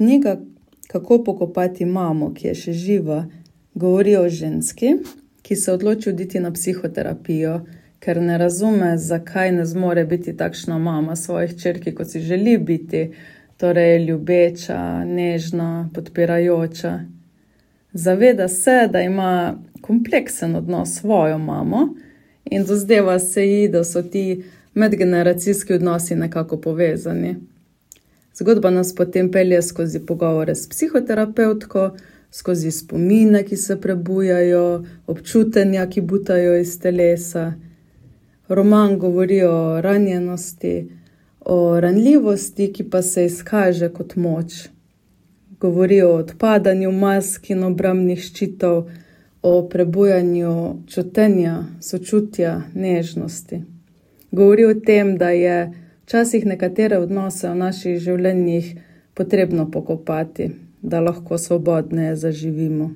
Knjiga Kako pokopati mamo, ki je še živa, govori o ženski, ki se odloči oditi na psihoterapijo, ker ne razume, zakaj ne zmore biti takšna mama svojih hčerki, kot si želi biti, torej ljubeča, nežna, podpirajoča. Zaveda se, da ima kompleksen odnos s svojo mamo in dozdeva se ji, da so ti medgeneracijski odnosi nekako povezani. Zgodba nas potem pelje skozi pogovore s psihoterapevtko, skozi spomine, ki se prebujajo, občutenja, ki butajo iz telesa. Roman govori o ranjenosti, o ranljivosti, ki pa se izkaže kot moč. Govori o odpadanju mask in obrambnih ščitov, o prebujanju čutenja, sočutja, nežnosti. Govori o tem, da je včasih nekatere odnose v naših življenjih potrebno pokopati, da lahko svobodneje zaživimo.